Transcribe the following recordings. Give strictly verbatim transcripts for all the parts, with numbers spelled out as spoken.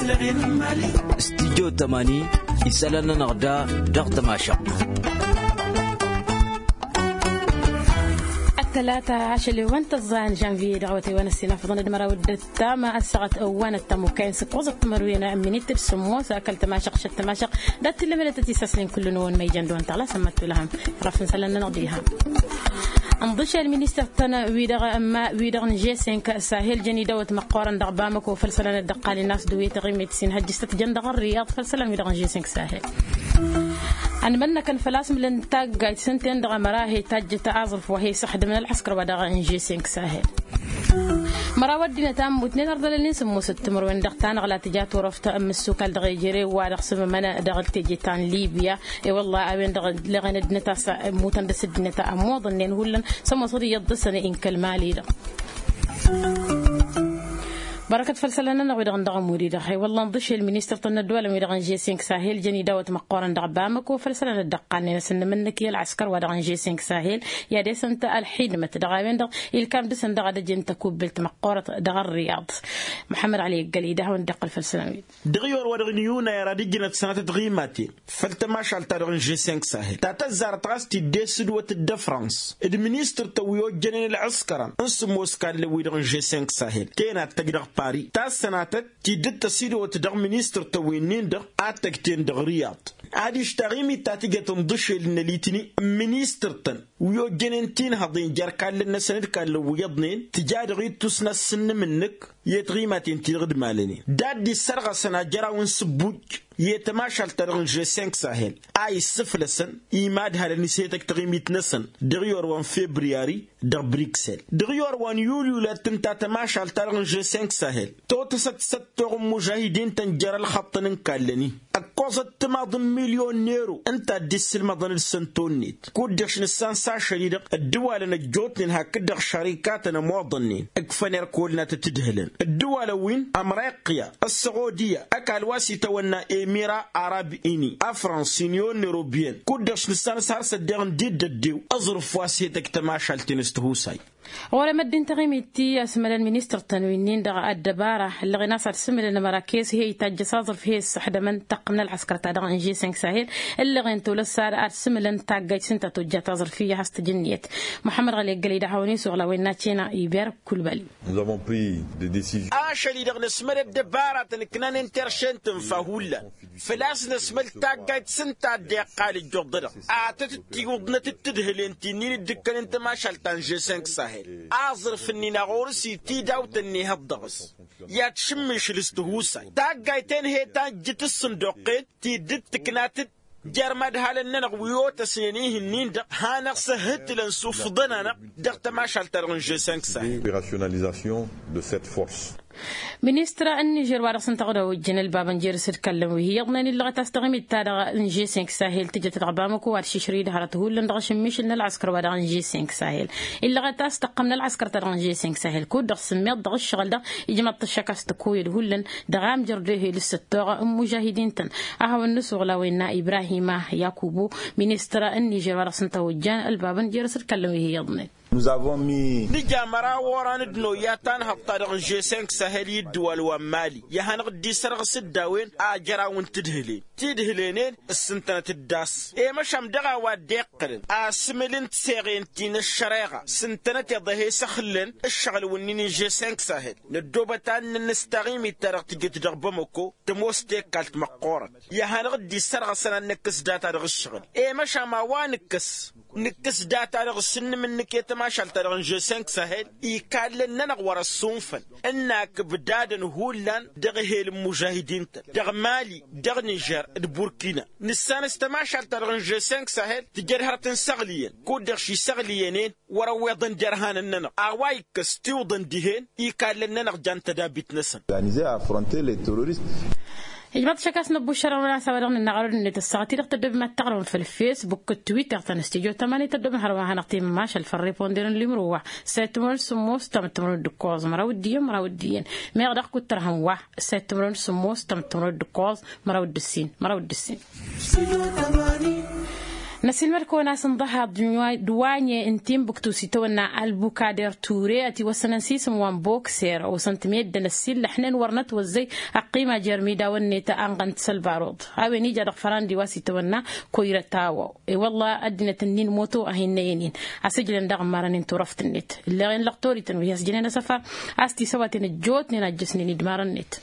Studyo tămani isălan-nănăɣ da dăɣ-tămašăɣt. Ăttălata ašăl i-ăwăn tăẓẓa n-žănvye dăɣ-awătay wa n-ăssinafăḍăn d-măraw d-ǝttam ăssaɣăt ăwwanăt tămukkayen s-ǝkkoẓăt timărwen n-minit d-sǝmmos ăkall tămašăɣt šăt tămašăɣt dat-t-illa mălătăt isasnen kull-năwăn ma ijăn dăɣ-wăn tăɣlas ămmăttulăhăm. Rafn isălan-nănăɣ d-iham. Ǝnḍǝšel ministăr-tăn wi-dăɣ n-g cinq sahel jăn idawăt măqqoorăn dăɣ-bamăko făll-isălan dd-ăqqalnen a-s dăɣ-wi taɣimit s-inhăjjǝs tăt-jăn dăɣ-ărriyaḍ făll-isălan wi-dăɣ n-g cinq sahel. Ănmănnăkăn făl-a-s mǝlăn taggajt s-ǝnta-en-dăɣ ămăra he-tajjăt aẓrǝf wa he-săxdǝmăn ălɣăskăr wa dăɣ-n g cinq sahel. Măraw ăddinăt a ǝmmutnen ărdălălnen sǝmmosăt timǝrwen dăɣ-tanăɣla tǝja turăft n-imǝssukal dăɣ-ejere wa dăɣ-sǝmmămăn dăɣ-teje ta n-libya. I-wălla a-wen-dăɣ ǝlleɣen ăddinăt a-s ǝmmutăn dăɣ-s ăddinăt a ămmuḍănnen hullan sămoosăt iyyăḍ dăɣ-săn inkăl mali-dăɣ. Bărăkăt făll-isălan-nănăɣ wi-dăɣ n-dăɣ-ămud-i-dăɣ i-wălla ǝnḍǝšel ministăr-tăn n-ădduwalăn wi-dăɣ n-g cinq sahel jăn idawăt măqqoorăn dăɣ-bamăko făll-isălan dd-ăqqalnen asǝnnǝm-nǝk i-ălɣăskăr wa dăɣ-n g cinq sahel. I-ad-esăn ta ălxidmăt dăɣ-a-wen-dăɣ ilkam dăɣ-săn dăɣ-ad-ăjǝn tăkubbelt măqqoorăt dăɣ-ărriyaḍ. Muḥămmăd ăli ăggălăy d-ad-hawăn-dd-iqqǝl făll-isălan-wi. Dăɣ-iyor wa dăɣ-nǝyuna i-ad-ijnăt sănatăt ɣimaten făll-tămašalt-ta-dăɣ n-žesenk sahel ta tăzzarăt ɣas tidde s-ǝdwăt d-ăfrans d-ministăr-tăn wi ojjănen ălɣǝskărăn n-sǝmmos kallăn wi-dăɣ n-žesenk sahel tenat tăj dăɣ-pari ta s-sănatăt tidǝt tăsidăwăt dăɣ-ministăr-tăn wi-nin-dăɣ ad-tăj-ten dăɣ-riyaḍ. Adiš taɣimit ta tǝjăt ǝnḍǝšel n-ălitni n-ministăr-tăn wi ojjănen tinhăḍen jer-kallăn-năsăn d-kallăn wi iyyăḍnen tǝja dăɣ-ittus n-asǝnnǝm-nǝk i-tiɣimaten ti-dăɣ d-malănen d-ad-dd-issărɣăsăn ajăraw n-sǝbbuj i-tămašalt-ta-dăɣ n-žesenk sahel a issǝflăsăn imadhalăn s-he-tăj taɣimit-năsăn dăɣ-iyor wa n-febriyari dăɣ-briksel. Dăɣ-iyor wa n-yulyu la t-tǝnta tămašalt-ta-dăɣ n-žesenk sahel totăsăt s-ăttoɣ n-imužahidin-tăn jer-ălxăṭṭăn n-kallăn-in ǝkkoẓăt timaḍ n-milyon n-ero ǝnta a dd-issǝlmăḍăn d-săn tonnet kud-dăɣ-š nǝssan s-ašăl-i-dăɣ ăddǝwalăn ăjjootnen hakd-dăɣ šărikatăn ămoḍănnen ǝkfăn irkol n-ad-tǝtǝdhǝlăn ăddǝwalăn wi n-ămriqya ăssăɣodiya ăkall wa s-itawănna emira arab ini afrans union n-erobiyăn kud-dăɣ-š nǝssan s-har s-ăddeɣ n-dd-ăddew aẓrǝf wa s-he-tăj tămašalt-in s-tihusay. Ɣur-emăddin taɣimit ti ăsmălăn ministăr-tăn wi-nin-dăɣ ăddăbara ǝllăɣen a-s ad-sǝmǝlăn ămăra kez he-itajjăs aẓrǝf he-issăxdămăn taqqǝm n-ălɣăskăr-ta-dăɣ n-žesenk sahel ǝllăɣen tolăs ad-sǝmǝlăn taggajt s-ǝnta tojja taẓrǝf iyyăh a-s tǝjǝnniyăt. Muḥămmăd ɣăli ăggălăy d-ad-hawăn-isuɣǝl a-wen n-ad-cena iber kulbali. Ašăl-i-dăɣ năsmăd ăddăbaratăn ǝknanen terše n-tǝnfa hullan făl-a-s năsmăl taggajt s-ǝnta a dd-iqqal ǝjjuḍădăɣ ad-tăt-dd-tiwǝḍnăt d-tǝdhǝlen ti-nin dd-ǝkkănen tămašalt ta n-žesenk sahel aẓrǝf-nin a ɣur-s itidawt ănnihăḍ dăɣ-s i-ad-tšǝmmišǝl s-tihusay taggajt-en he-tajjǝt s-sǝnduqqen ti dd-tǝknat-dd jer-imadhalăn-nănăɣ wi otăsnen ih'-nin-dăɣ hanăɣ-săhhǝtǝlăn s-ufḍăn-anăɣ dăɣ-tămašalt-ta-dăɣ n-žesenk sahel. Opérationnalisation de cette force. Ministăr n-nižer wa dăɣ-s ǝnta a ojjăn ălbabăn jer-s d-kallăn wi hi-iyyăḍnen illăɣăt a-s taɣimit-ta-dăɣ n-žesenk sahel tǝjăt dăɣ-bamăko wa d-šišrǝy d-hărăt hullan dăɣ-ašǝmmišǝl n-ălɣăskăr wa dăɣ-n žesenk sahel. Illăɣăt a-s tăqqăm n-ălɣăskăr-ta-dăɣ n-žesenk sahel kud-dăɣ s-ǝmmiḍ dăɣ-ǝššăɣǝl-dăɣ ijmăḍ-t ăššăk a-s tăkoyăd hullan dăɣ-amjăr d-ehel s-ăttoɣ n-imužahidin-tăn. A hawăn-nǝsuɣǝl a-wen n-ibrahima yakubu ministăr n-nižer wa dăɣ-s ǝnta a ojjăn ălbabăn jer-s d-kallăn wi hi-iyyăḍnen. Nǝja măraw oran d-noyya tanhăḍt-ta-dăɣ n-žesenk sahel i-ǝddǝwal wa n-mali i-ad-hanăɣ-dd-isărɣǝs d-a-wen ajăraw n-tǝdhǝlen tidhǝlen-en ǝssǝntănăt-dd a-s i-măšan dăɣ-a-wa dd-iqqălăn asǝmǝl n-tiseɣen ti n-ăššăreɣa s-ǝntănăteḍ a he-săxǝllăn ǝššăɣǝl-wǝnnin n-žesenk sahel. Năddoobăt ad-nǝnnǝs taɣimit-ta-dăɣ tǝjăt dăɣ-bamăko tămoos tekkalt măqqoorăt i-ad-hanăɣ-dd-isărɣăsăn ad-nǝkkǝs data dăɣ-ǝššăɣǝl i-măšan ma wa nǝkkǝs nǝkkǝs data-dăɣ s-ǝnnǝm-nǝk i-tămašalt-ta-dăɣ n-žesenk sahel ikallăn-nănăɣ wăr-ăssunfăn ǝnn-ak ǝbdadăn hullan dăɣ-ehel n-imužahidin-tăn dăɣ-mali dăɣ-nižer d-burkina. Nǝssan s-tămašalt-ta-dăɣ n-žesenk sahel tǝjăd hărăt n-săɣliyăn kud-dăɣ šisăɣliyăn-en wăr-ăwweḍăn derhanăn-nănăɣ a-wa ikkăs tiwǝḍăn dihen ikallăn-nănăɣ jan tădabit-năsăn. Organize afronte les terroristes. Ijmaḍ šăkas năbbušărăn wăla s-a-wa dăɣ-nǝnnaɣ arăw d-net ăssaɣăt-i-dăɣ tăddobem ad-taɣrǝwăm făll-fesbuk d-twitter ta n-studyo tămani tăddobem hărwa hanăɣ-timmašal făll-riponder n-limro wa săyăt timǝrwen sǝmmos tamǝttămărwen d-ǝkkoẓ măraw d-iyyăn măraw d-iyyăn. Meɣ dăɣ-kuttărhăm wa săyăt timǝrwen sǝmmos tamǝttămărwen d-ǝkkoẓ măraw d-ǝssin măraw d-ǝssin. Năsilmăd-kăwăn a-s ǝnḍăhaḍ d-wanye n-tinbǝktu s-itawănna albukader ture ătiwăssănăn s-isǝm wa n-bokser osăn-t meddǝn ăssillăxnen wăr nătwăzzăy ăqqima jer-imidawăn-net anɣăn-t s-ălbaruḍ. A-wen ija dăɣ-fărandi wa s-itawănna koyrăt a-wa e-wălla ăddinăt-ǝnnin moto a hin-năyăn-in asǝjlăn daɣ n-imarăn-in turăft-net ǝlleɣen lăɣ torităn wi has-jănen asăfar a-s tisăwaten ăjjootnen a ǝjjăsnen idmarăn-net.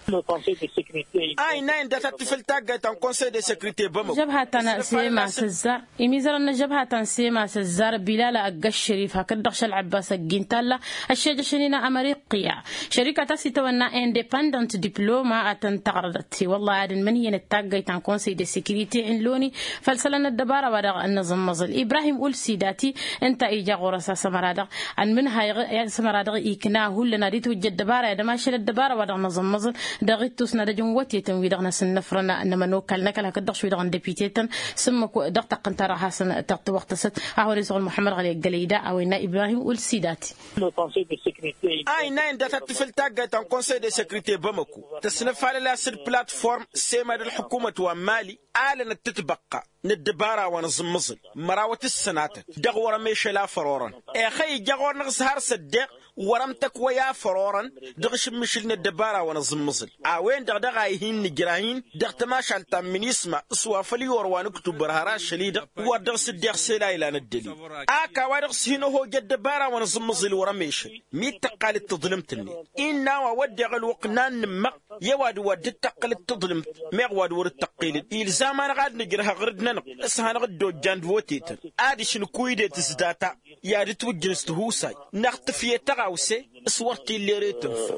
A innă inda ta t-tifǝl taggayt ta n-konsăy de sekrite bamăko. Žăbha ta n-sema s-ăzzar imizărăn n-ăžžăbha ta n-sema s-ăzzar bilal ăgg-ăššărif hakd-dăɣ šălɣăbbas ăgg-intalla ăššejăšăn-in amăriqqiya šărika ta s-itawănna independent diploma ad-tăn-tăɣrădăt i-wălla ad-ǝnmǝnhǝyăn d-taggayt ta n-konsăy de sekrite n-loni făll-isălan n-ăddăbara wa dăɣ-nǝẓǝmmăẓǝl ibrahim ulsidati. Ǝnta ija ɣur-s a-s ămăra-dăɣ ănmǝnhayăɣ i-ad-s ămăra-dăɣ ikna hullan ad-itwǝjja ăddăbara i-ad-ămašăl ăddăbara wa dăɣ-nǝẓǝmmăẓǝl dăɣ-ittus n-ad-ăj n-wătetăn wi dăɣ-năsǝnnăfrăn n-ămănokal n-ăkall hakd-dăɣ š-wi-dăɣ n-depitetăn. Sǝmmǝk dăɣ-taqqǝnt-ta-dăɣ hasăn-tăɣtǝwăɣtăsăt a hawăn-isăɣ ălmuḥămmăd ɣăli ăggălăy da a-wa innă ibrahim ulsidati. A innă inda ta t-tifǝl taggayt ta n-konsăy de sekrite bamăko tăsnăfalăl a-s d-platform sema d-ălḥukumăt wa n-mali alănăt tǝtbăqqa n-ăddăbara wa n-aẓǝmmăẓǝl mărawăt ǝssănatăt dăɣ-wăr-ămešăl a făr orăn. Ixăyy ija ɣur-năɣ s-har s-ăddeɣ wăr-ămtăkwăy a făr orăn dăɣ-ašǝmmǝšǝl n-ăddăbara wa n-aẓǝmmăẓǝl. A-wen-dăɣ daɣ a ih'-in-nǝjrah-in dăɣ-tămašalt ta n-minisma s-wa făl iwăr wa n-ǝktubăr har ašăl-i-dăɣ wăr dăɣ-s dd-iɣsel a ilan ăddălil. Ak a-wa-dăɣ s-hin-ăhoj ăddăbara wa n-aẓǝmmăẓǝl wăr-ămešăl mi t-tăqqal d-taḍlǝmt-net. Innă a-wa wădden ălwăqq n-ad-nǝmmăɣ i-ăwadǝm wa dd-tăqqǝl d-taḍlǝmt meɣ wa d-wăr-dd-tăqqǝl-dd ilzam-anăɣ ad-nǝjrăh aɣrǝd-nănăɣ s-hanăɣ-dd-ojjan d-wătetăn ad-išǝnku idetǝs data i-ad-ǝtwǝjjǝn s-tihusay năɣ tǝfye tăɣawse s-wăr t-illa ere tǝnfa.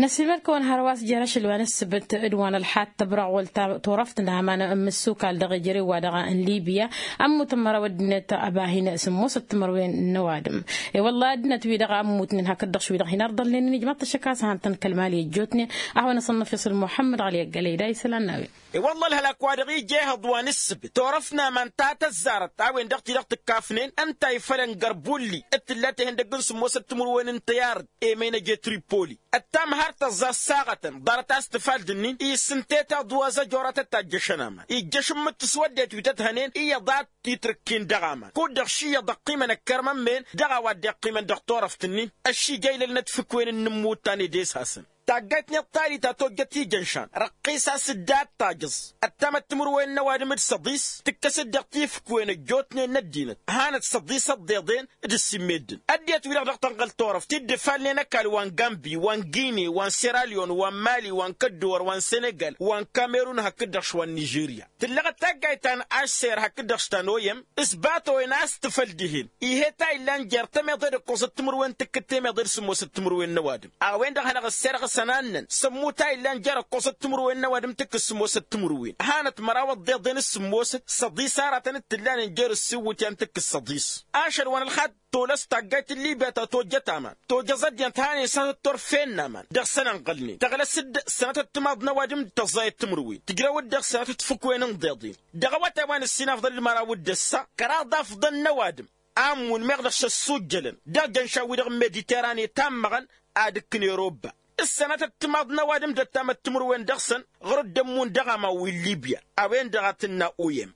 Năsimăr-kăwăn hărwa s-jer-ašăl wa n-ǝssǝbǝt d-wa n-ălxaḍ tăbrăɣ wăl-turăft n-aman n-imǝssukal dăɣ-ejărew wa dăɣ-n libya. Ămmut n-măraw ăddinăt ăba hin-sǝmmosăt timărwen n-ăwadǝm. I-wălla ăddinăt-wi-dăɣ ămmutnen hakd-dăɣ š-wi-dăɣ hin-ărḍălnen inǝjmăḍ-t ăššăk a-s han-tăn-kăl-mali ăjjootnen. A hawăn-asănnăf isǝl muḥămmăd ɣăli ăggălăy da isălan n-a-wen. I-wălla ălhălak wa dăɣ-ija ehăḍ wa n-ǝssǝbǝt turăft n-aman ta tăzzarăt a-wen-dăɣ ti-dăɣ tǝkkafnen ǝnta ifălăn gărbulli d-tǝlla tehăndăgg n-sǝmmosăt timǝrwen n-tăyarăt emăynăj i-tripoli. Ăttam har tăẓẓa ăssaɣătăn ḍarăt a-s tǝfal d-ǝnnin isǝntet aḍu azăjor a tăt-ajjăšăn aman ijjăš ǝmmǝt s-wăddet wi tăt-hănen iyyăḍ a t-itrǝkkin dăɣ-aman kud-dăɣ š-iyyăḍ ăqqimăn ăkkărmăn-men dăɣ-a-wa dd-iqqimăn dăɣ-turăft-ǝnnin. Ăššija ilălnăt fǝkwen n-inǝmmuttan ed e-s hasăn taggayt-net ta dita tojjăt ijănšan răqqis a-s dd-ad-tajǝẓ. Ăttamăt timǝrwen n-ăwadǝm d-săḍis tǝkkăs-dd dăɣ-tifǝkwen ăjjootnen n-ăddinăt hanăt-săḍis ăḍḍeḍen d-ǝssin meddǝn ăddinăt-wi-dăɣ dăɣ-tănɣăl turăft dd-ǝfalnen ăkall wa n-gambi wa n-gine wa n-seralion wa n-mali wa n-kădduwăr wa n-senegal wa n-kamerun hakd-dăɣ š-wa n-nižerya. Tǝllăɣăt taggayt ta n-ašser hakd-dăɣ š-ta n-oyăm s-bato-en a-s tǝfăl dihen. Ih'-e ta illan jer-tămeḍe d-ǝkkoẓăt timǝrwen tǝkkǝd temeḍe d-sǝmmosăt timǝrwen n-ăwadǝm a-wen-dăɣ hanăɣ-ăsserɣǝsăn annăn sămmut a illan jer-ǝkkoẓăt timǝrwen n-ăwadǝm tǝkkǝd sǝmmosăt timǝrwen hanăt măraw ăḍḍeḍen s-sǝmmosăt săḍis aratăn d-tǝllanen jer-ǝssiwǝtyan tǝkkǝd săḍis. Ašăl wa n-ălxaḍ tolăs taggayt n-libya ta tojjăt aman tojăẓ ăddinăt hanen s-ad-tăt-turfen n-aman dăɣ-săn ănɣălnen tăɣlăs-dd sănatăt timaḍ n-ăwadǝm d-tăẓẓayăt timǝrwen tǝjrăw-dd dăɣ-sănatăt fǝkwen n-iḍeḍen. Dăɣ-awătay wa n-ǝssin afḍăn d-măraw d-ăssa kăraḍ afḍăn n-ăwadǝm a ǝmmun meɣ dăɣ-s ăssujjălăn dăɣ-jănša-wi-dăɣ n-mediterane tammăɣăn ad-ǝkkǝn europa. S-sănatăt timaḍ n-ăwadǝm d-ăttamăt timǝrwen dăɣ-săn ɣur-dd-ămmun dăɣ-aman wi n-libya. A-wen-dăɣ a tǝnna oyăm.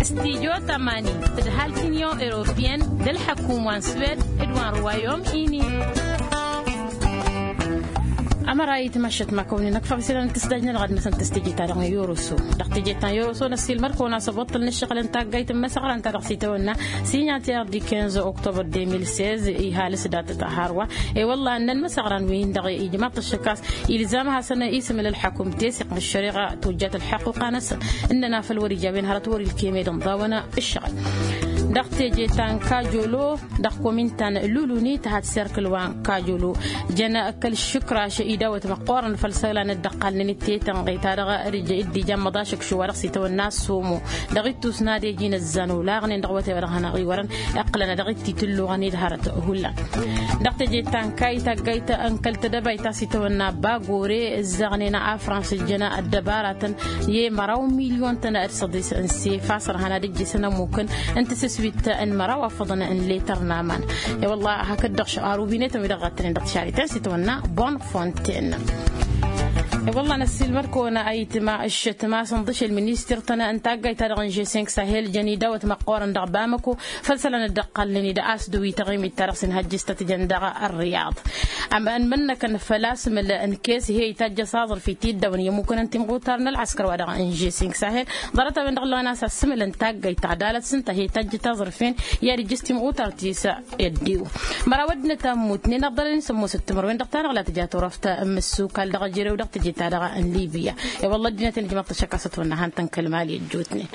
Studyo tămani tǝdhal t-unyon europeyăn d-ălḥăkum wa n-swed d-wa n-ruwayom ini. Ămăra itmăššăt ma kăwăn-in-ăkfăɣ isălan n-tǝsdaj-nănăɣ ad-năsăn tǝstǝje ta dăɣ-n yoroso dăɣ-teje ta n-yoroso năssiilmăr-kăwăn a-s ăboṭṭăl n-ǝššăɣǝl n-taggayt n-imăsăɣra ǝnta dăɣ-s itawănna. Signatier du quinze octobre deux mille seize ihal s-datăt a hărwa i-wălla ǝnnăn imăsăɣran wi-hin-dăɣ ijmaḍ-t ăššăk a-s ilzam ad-hasăn-isǝmǝl ălḥăkum teseɣt n-ăššăreɣa tojjat ălḥăquqa-năsăn. Ǝnnăn afăl wăr-ija a-wen hărăt wăr-ilkem ed ǝnḍawăn ǝššăɣǝl dăɣ-teje ta n-kajolo dăɣ-komin ta n-luluni tăhat serkǝl wa n-kajolo. Jăn kăl-išǝkraš idawăt măqqoorăn făll-isălan dd-ăqqalnen d-tetănɣe ta dăɣ-dd-ija ămmăḍ ašǝkšu wa dăɣ-s itawănna s-omo dăɣ-ittus n-ad-ej inǝzzan olaɣnen dăɣ-awătay wa dăɣ-hanăɣ-iwărăn. Iqqǝlăn dăɣ-t itǝlluɣăn-dd hărăt hullan dăɣ-teje ta n-kayy taggayt n-kăl-tedăbayt ta s-itawănna bagore ǝzzăɣnen afrans ǝjjăn ăddăbaratăn i-măraw milyon-tăn d-săḍis n-sefas ărhan ad-ǝjjǝsăn ămmukăn n-tisǝswit n-măraw afăḍăn n-letăr n-aman. I-wălla hakd-dăɣ š-arubinetăn wi dăɣ-ɣăttănen dăɣ-tišarităn s-itawănna bonne fontaine. I-wălla năssiilmăd-kăwăn ayǝtma ǝššăt ma s-ǝnḍǝšel ministir-tăn n-taggayt-ta-dăɣ n-žesink sahel jăn idawăt măqqoorăn dăɣ-bamăko făll-isălan dd-ăqqalnen-i d-a-s dăw-i taɣimit-ta-dăɣ s-inhăjjǝs tăt-jăn dăɣ-ărriyăḍ. Ămănnăkăn făll-asmǝl n-kes he-itajjăs aẓrǝf i-tiddawăn i-ămmukăn n-timɣutar n-ălɣăskăr wa dăɣ-n žesink sahel ḍarăt-a-wen-dăɣ ǝllăɣăn a-s asǝmǝl n-taggayt taɣdalăt s-ǝnta he-itajjăt aẓrǝf-en i-ad-ijjǝs timɣutar ti s-ăddiw. Măraw ăddinăt a ǝmmutnen ăḍḍălăn-in sămmosăt timărwen dăɣ-ta-dăɣ la tǝja turăft n-imǝssukal dăɣ-ejărew dăɣ-teje-ta-dăɣ n-libya. I-wălla ăddinăt-en ǝjmăḍ-t ăššăk a-s ătwănna han-tăn kăl-mali ăjjootnen.